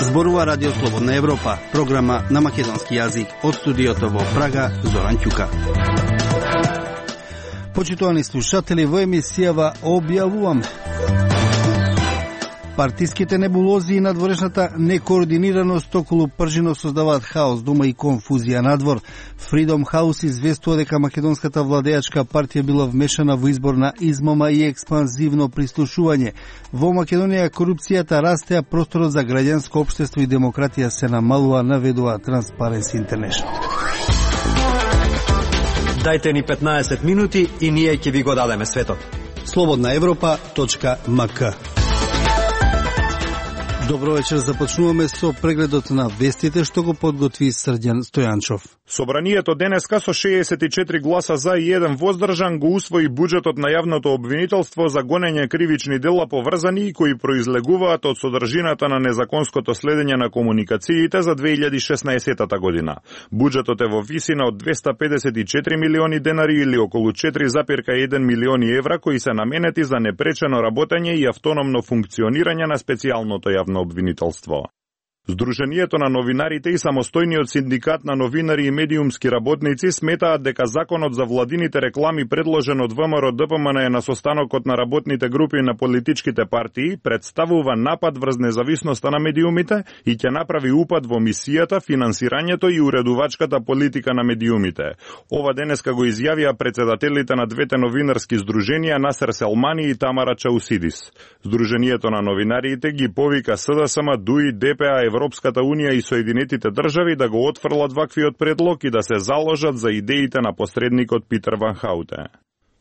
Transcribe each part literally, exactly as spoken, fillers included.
Зборува Радио Слободна Европа, програма на македонски јазик од студиото во Прага, Зоран Ќука. Почитувани слушатели, во емисијава објавуваме партиските небулози и надворешната некоординираност околу пржино создаваат хаос, дома и конфузија надвор. Freedom House известува дека македонската владеачка партија била вмешана во избор на измама и експанзивно прислушување. Во Македонија корупцијата расте, а просторот за граѓанско општество и демократија се намалува, наведува Transparency International. Дајте ни петнаесет минути и ние ќе ви го дадеме светот. слободна европа точка ем ка. Добро вечер, започнуваме со прегледот на вестите што го подготви Срđan Стојанчов. Собранието денеска со шеесет и четири гласа за и еден воздржан го усвои буџетот на јавното обвинителство за гонење кривични дела поврзани и кои произлегуваат од содржината на незаконското следење на комуникациите за две илјади и шеснаесетта година. Буџетот е во висина од двеста педесет и четири милиони денари или околу четири зарез еден милиони евра кои се наменети за непречено работење и автономно функционирање на специјалното јавно обвинителство. Сдруженијето на новинарите и самостојниот синдикат на новинари и медиумски работници сметаат дека законот за владините реклами предложен од ВМРО Д П М Н на состанокот на работните групи на политичките партии представува напад врз независноста на медиумите и ќе направи упад во мисијата, финансирањето и уредувачката политика на медиумите. Ова денеска го изјавија председателите на двете новинарски сдруженија Насер Селмани и Тамара Чаусидис. Сдруженијето на новинариите ги повика С Д С М, Д У И, Д П А, Европската Унија и Соединетите држави да го отфрлат ваквиот предлог и да се заложат за идеите на посредникот Питер Ван Хауте.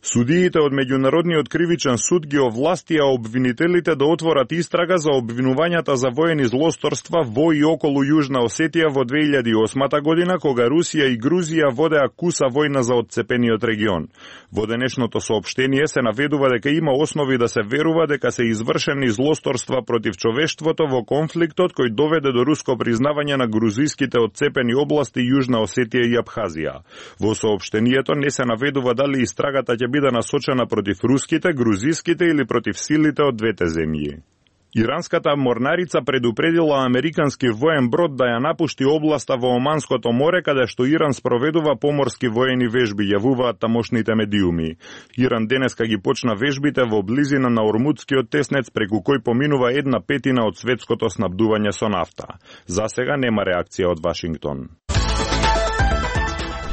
Судиите од Меѓународниот кривичен суд ги овластија обвинителите да отворат истрага за обвинувањата за воени злосторства во и околу Јужна Осетија во две илјади и осма година, кога Русија и Грузија водеа куса војна за отцепениот регион. Во денешното соопштение се наведува дека има основи да се верува дека се извршени злосторства против човештвото во конфликтот кој доведе до руско признавање на грузиските отцепени области Јужна Осетија и Абхазија. Во соопштението не се наведува дали истрагата ќе биде насочена против руските, грузиските или против силите од двете земји. Иранската морнарица предупредила американски воен брод да ја напушти областа во Оманското море, каде што Иран спроведува поморски воени вежби, јавуваат тамошните медиуми. Иран денеска ги почна вежбите во близина на Ормудскиот теснец, преку кој поминува една петина од светското снабдување со нафта. За сега нема реакција од Вашингтон.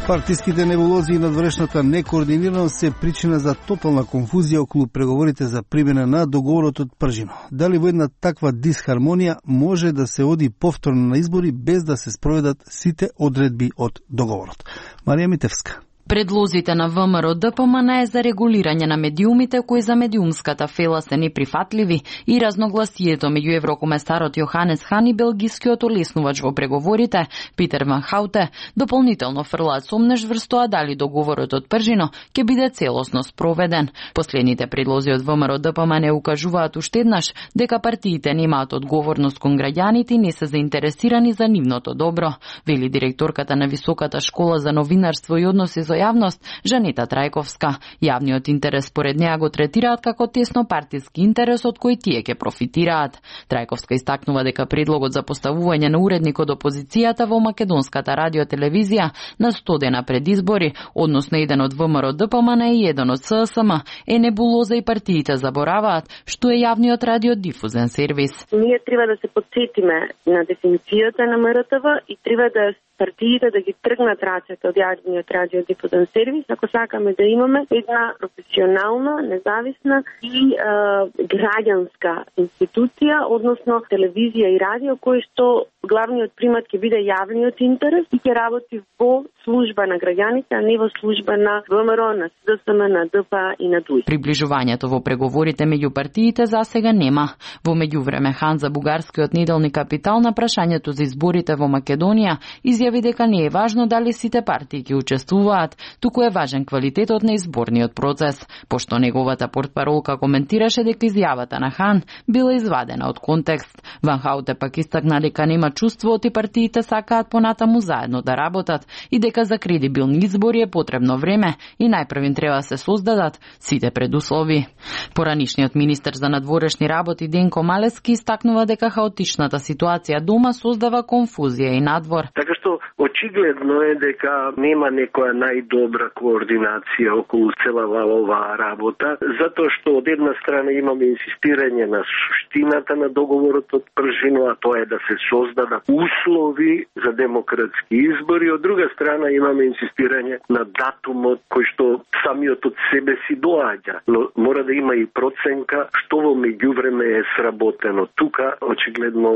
Партиските небулози и надворешната некоординираност се причина за тотална конфузија околу преговорите за примена на договорот од Пржино. Дали во една таква дисхармонија може да се оди повторно на избори без да се спроведат сите одредби од договорот? Марија Митевска. Предлозите на ВМРО Д П М Н е за регулирање на медиумите кои за медиумската фела се неприфатливи и разногласието меѓу еврокомесарот Јоханес Хан и белгискиот олеснувач во преговорите Питер Ван Хауте дополнително фрлаат сомнеш врз тоа дали договорот од Пржино ќе биде целосно спроведен. Последните предлози од ВМРО Д П М Н укажуваат уште еднаш дека партиите немаат одговорност кон граѓаните и не се заинтересирани за нивното добро, вели директорката на Високата школа за новинарство и односи со јавност Жанета Трајковска. Јавниот интерес според неа го третираат како тесно партиски интерес од кој тие ќе профитираат. Трајковска истакнува дека предлогот за поставување на уредник од опозицијата во македонската радиотелевизија на сто дена пред избори, односно еден од ВМРО Д П М Н и еден од С С М, е небулоза и партиите забораваат што е јавниот радиодифузен сервис. Ние треба да се подсетиме на дефиницијата на М Р Т В и треба да партиите да ги тргнат рацете од јавниот радиодифузен сервис, ако сакаме да имаме една професионална, независна и е, граѓанска институција, односно телевизија и радио, кој што главниот примат ќе биде јавниот интерес и ќе работи во служба на граѓаните, а не во служба на ВМРО, на С Д С М, на Д П А и на Д У И. Приближувањето во преговорите меѓу партиите за сега нема. Во меѓувреме Хан за бугарскиот неделник Капитал на прашањето за изборите во Македонија изјавил изјави дека не е важно дали сите партии ќе учествуваат, туку е важен квалитетот на изборниот процес, пошто неговата портпаролка коментираше дека изјавата на Хан била извадена од контекст. Ван Хауте пак истакна дека нема чувство и партиите сакаат понатаму заедно да работат и дека за кредибилни избори е потребно време и најпрвин треба се создадат сите предуслови. Поранишниот министер за надворешни работи Денко Малески истакнува дека хаотичната ситуација дома создава конфузија и надвор. Така што очигледно е дека нема некоја најдобра координација околу целава оваа работа, затоа што од една страна имаме инсистирање на суштината на договорот од Пржино, а тоа е да се создадат услови за демократски избори, од друга страна имаме инсистирање на датумот кој што самиот од себе си доаѓа, но мора да има и проценка што во меѓувреме е сработено. Тука очигледно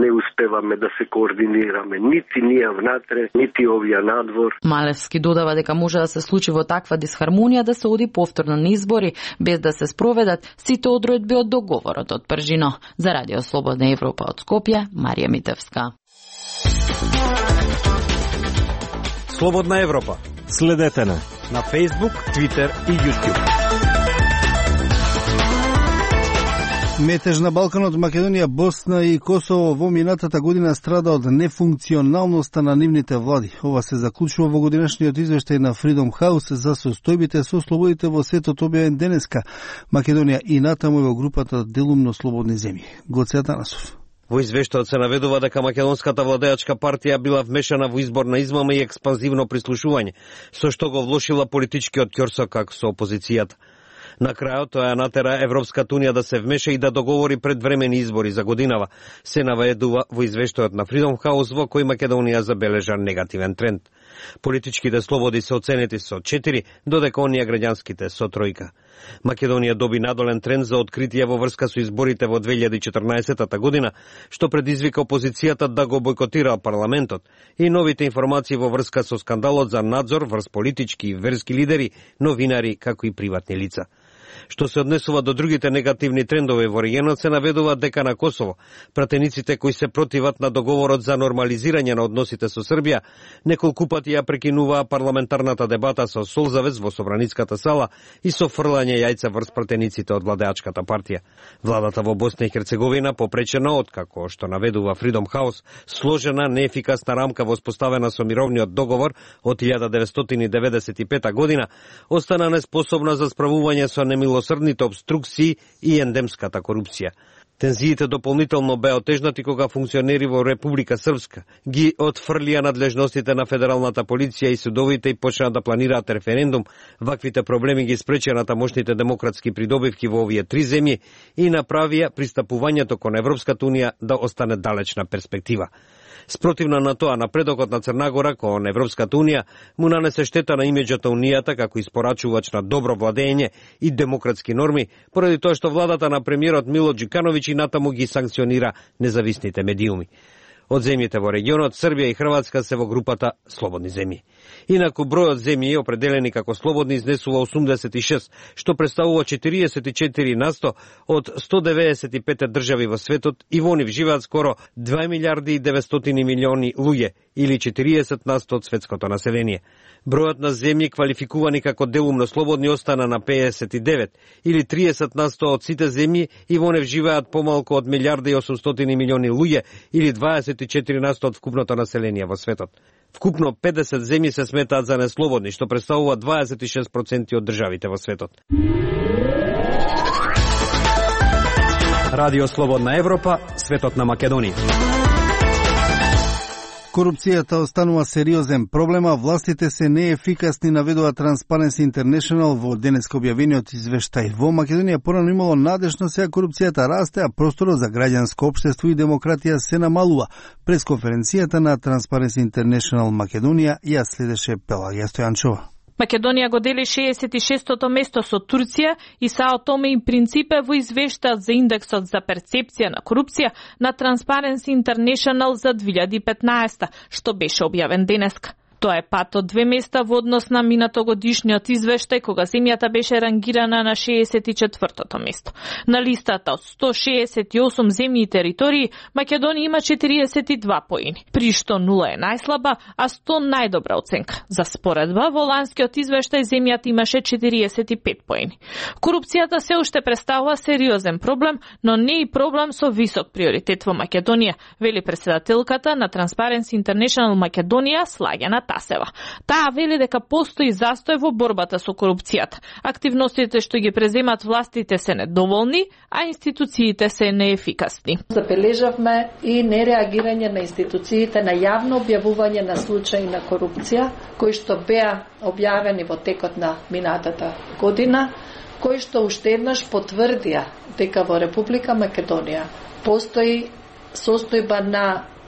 не успеваме да се координираме, нити ние внатре, нити овие надвор. Малевски додава дека може да се случи во таква дисхармонија да се оди повторно на избори без да се спроведат сите одредби од договорот од Пржино. За Радио Слободна Европа од Скопје, Марија Митевска. Слободна Европа. Следете на на Facebook, Twitter и YouTube. Метеж на Балканот, Македонија, Босна и Косово во минатата година страда од нефункционалноста на нивните влади. Ова се заклучува во годинашниот извештај на Freedom House за состојбите со слободите во светот објавен денеска. Македонија и натаму е во групата делумно слободни земји. Гоце Атанасов. Во извештајот се наведува дека македонската владеачка партија била вмешана во изборна измама и експанзивно прислушување, со што го влошила политичкиот ќорсок со опозицијата. На крајот тоа ја натера Европската унија да се вмеша и да договори предвремени избори за годинава, се наведува во извештајот на Freedom House во кој Македонија забележа негативен тренд. Политичките слободи се оценети со четири, додека оние граѓанските со тројка. Македонија доби надолен тренд за откритие во врска со изборите во две илјади и четрнаесетта година, што предизвика опозицијата да го бойкотира парламентот, и новите информации во врска со скандалот за надзор врз политички и верски лидери, новинари, како и приватни лица. Што се однесува до другите негативни трендови во регионот, се наведува дека на Косово пратениците кои се противат на договорот за нормализирање на односите со Србија неколку пати ја прекинуваа парламентарната дебата со солзавез во Собраницката сала и со фрлање јајца врз пратениците од владеачката партија. Владата во Босна и Херцеговина попречена од, како што наведува Freedom House, сложена неефикасна рамка воспоставена со мировниот договор од илјада деветстотини деветдесет и пета година, остана неспособна за справување со немилосрдните обструкции и ендемската корупција. Тензиите дополнително беа отежнати кога функционери во Република Српска ги отфрлија надлежностите на федералната полиција и судовите и почнаа да планираат референдум. Ваквите проблеми ги спречија на тамошните демократски придобивки во овие три земји и направија пристапувањето кон Европската унија да остане далечна перспектива. Спротивно на тоа, напредокот на Црна Гора кон Европската унија му нанесе штета на имиџот на унијата како испорачувач на добро владење и демократски норми, поради тоа што владата на премиерот Мило Џукановиќ и натаму ги санкционира независните медиуми. Од земјите во регионот, Србија и Хрватска се во групата слободни земји. Инаку бројот земји определени како слободни изнесува осумдесет и шест, што представува четириесет и четири на сто од сто деветдесет и пет држави во светот, и во нив живеат скоро две милиарди и деветстотини милиони луѓе, или четириесет на сто од светското население. Бројот на земји квалификувани како делумно слободни остана на педесет и девет, или триесет на сто од сите земји, и во нив живеат помалку од милиарда и осумстотини милиони луѓе, или дваесет и четири на сто од вкупното население во светот. Вкупно педесет земји се сметаат за неслободни, што представува дваесет и шест проценти од државите во светот. Радио Слободна Европа, светот на Македонија. Корупцијата останува сериозен проблем, а властите се неефикасни, наведува Transparency International во денеска објавениот извештај. Во Македонија порано имало надежно, сега корупцијата расте, а просторот за граѓанско општество и демократија се намалува. През конференцијата на Transparency International Македонија ја следеше Пелагија Стојанчова. Македонија го дели шеесет и шестото место со Турција и Сао Томе и Принципе во извештајот за индексот за перцепција на корупција на Transparency International за две илјади и петнаесета, што беше објавен денеска. Тоа е пат од две места во однос на минатогодишниот извештај, кога земјата беше рангирана на шеесет и четвртото место. На листата од сто шеесет и осум земји и територии, Македонија има четириесет и два поени, при што нула е најслаба, а сто најдобра оценка. За споредба, во ланскиот извештај земјата имаше четириесет и пет поени. Корупцијата се уште представува сериозен проблем, но не и проблем со висок приоритет во Македонија, вели председателката на Transparency International Македонија Слагјана Тасева. Таа вели дека постои застој во борбата со корупцијата. Активностите што ги преземат властите се недоволни, а институциите се неефикасни. Забележавме и нереагирање на институциите на јавно објавување на случаи на корупција, кои што беа објавени во текот на минатата година, кои што уште еднаш потврдија дека во Република Македонија постои состојба на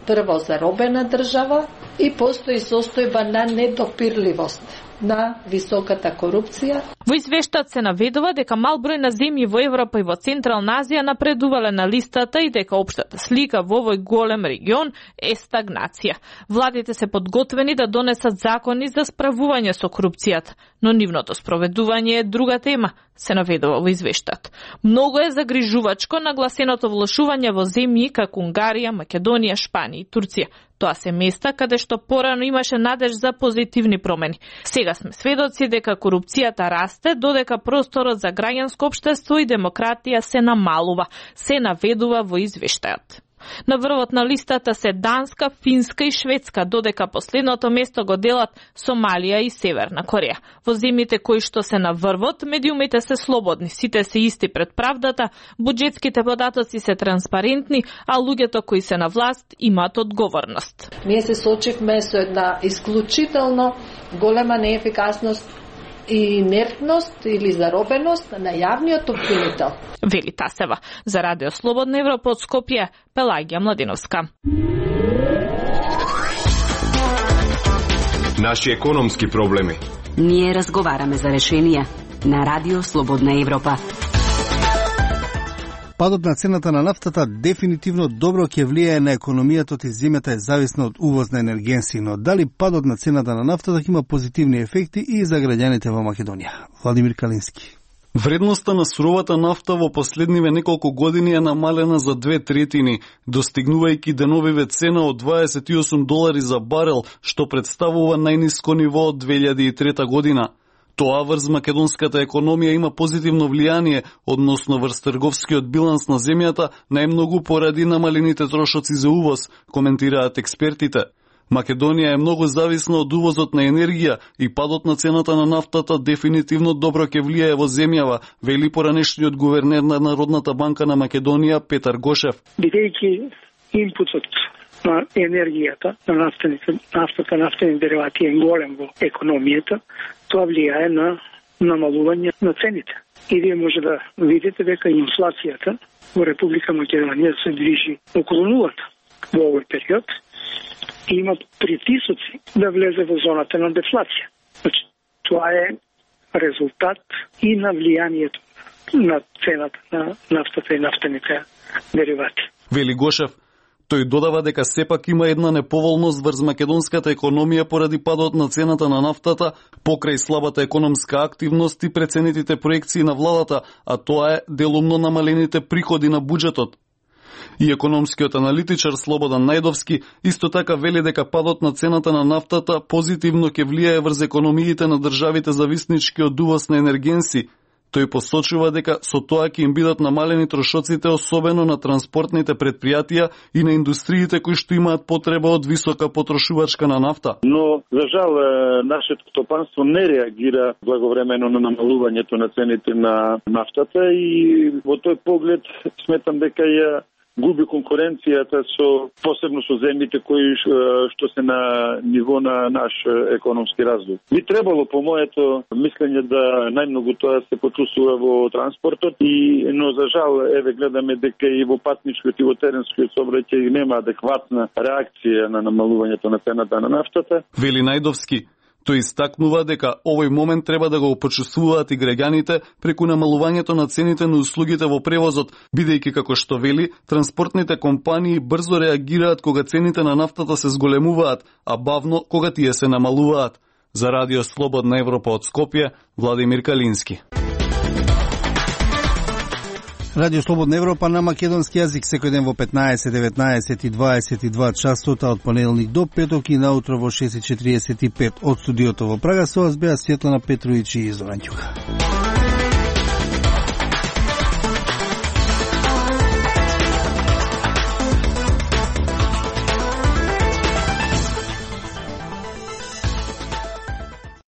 прво заробена држава и постои состојба на недопирливост на високата корупција. Во извештајот се наведува дека мал број на земји во Европа и во Централна Азија напредувале на листата и дека општата слика во овој голем регион е стагнација. Владите се подготвени да донесат закони за справување со корупцијата, но нивното спроведување е друга тема, се наведува во извештајот. Многу е загрижувачко нагласеното влошување во земји како Унгарија, Македонија, Шпанија и Турција. Тоа се места каде што порано имаше надеж за позитивни промени. Сега сме сведоци дека корупцијата расте, додека просторот за граѓанско општество и демократија се намалува, се наведува во извештајот. На врвот на листата се Данска, Финска и Шведска, додека последното место го делат Сомалија и Северна Кореја. Во земјите кои што се на врвот, медиумите се слободни, сите се исти пред правдата, буџетските податоци се транспарентни, а луѓето кои се на власт имаат одговорност. Ние се сочивме со една исклучително голема неефикасност и инертност или заробеност на јавниот обвинител. Вели Тасева. За Радио Слободна Европа од Скопје, Пелагија Младиновска. Наши економски проблеми. Ние разговараме за решенија на Радио Слободна Европа. Падот на цената на нафтата дефинитивно добро ќе влијае на економијата, и земјата е зависна од увоз на енергенси, но дали падот на цената на нафтата ќе има позитивни ефекти и за граѓаните во Македонија? Владимир Калински. Вредноста на суровата нафта во последниве неколку години е намалена за две третини, достигнувајќи деновиве цена од дваесет и осум долари за барел, што представува најниско ниво од две илјади и трета година. Тоа врз македонската економија има позитивно влијание, односно врз трговскиот биланс на земјата, најмногу поради намалените трошоци за увоз, коментираат експертите. Македонија е многу зависна од увозот на енергија и падот на цената на нафтата дефинитивно добро ќе влијае во земјава, вели поранешниот гувернер на Народната банка на Македонија Петар Гошев. Бидејќи импутот на енергијата, на нафтените, нафтата, нафтени деривати е голем во економијата, тоа влијае на намалување на цените. И вие може да видите дека инфлацијата во Република Македонија се движи околу нулата во овој период и има притисоци да влезе во зоната на дефлација. Значи, тоа е резултат и на влијанието на цената на нафтата и нафтените деривати. Вели Гошев. Тој додава дека сепак има една неповолност врз македонската економија поради падот на цената на нафтата, покрај слабата економска активност и преценетите проекции на владата, а тоа е делумно намалените приходи на буџетот. И економскиот аналитичар Слободан Најдовски исто така вели дека падот на цената на нафтата позитивно ќе влијае врз економиите на државите зависнички од увоз на енергенси. Тој посочува дека со тоа ќе им бидат намалени трошоците, особено на транспортните предпријатија и на индустриите кои што имаат потреба од висока потрошувачка на нафта. Но, за жал, нашето стопанство не реагира благовремено на намалувањето на цените на нафтата и во тој поглед сметам дека ја губи конкуренцијата со посебно со земјите кои што се на ниво на наш економски развој. Би требало по моето мислење да најмногу тоа се почувствува во транспортот и но за жал еве гледаме дека и во патничкиот и во теренскиот сообраќај нема адекватна реакција на намалувањето на цената на нафтата. Вели Најдовски. Тој истакнува дека овој момент треба да го почувствуваат и граѓаните преку намалувањето на цените на услугите во превозот, бидејќи како што вели, транспортните компании брзо реагираат кога цените на нафтата се зголемуваат, а бавно кога тие се намалуваат. За Радио Слободна Европа од Скопје, Владимир Калински. Радио Слободна Европа на македонски јазик секој ден во петнаесет, деветнаесет и дваесет и два часота од понеделник до петок и наутро во шест и четириесет и пет од студиото во Прага. Со вас беа Светлана Петровиќ и Зоран Ќука.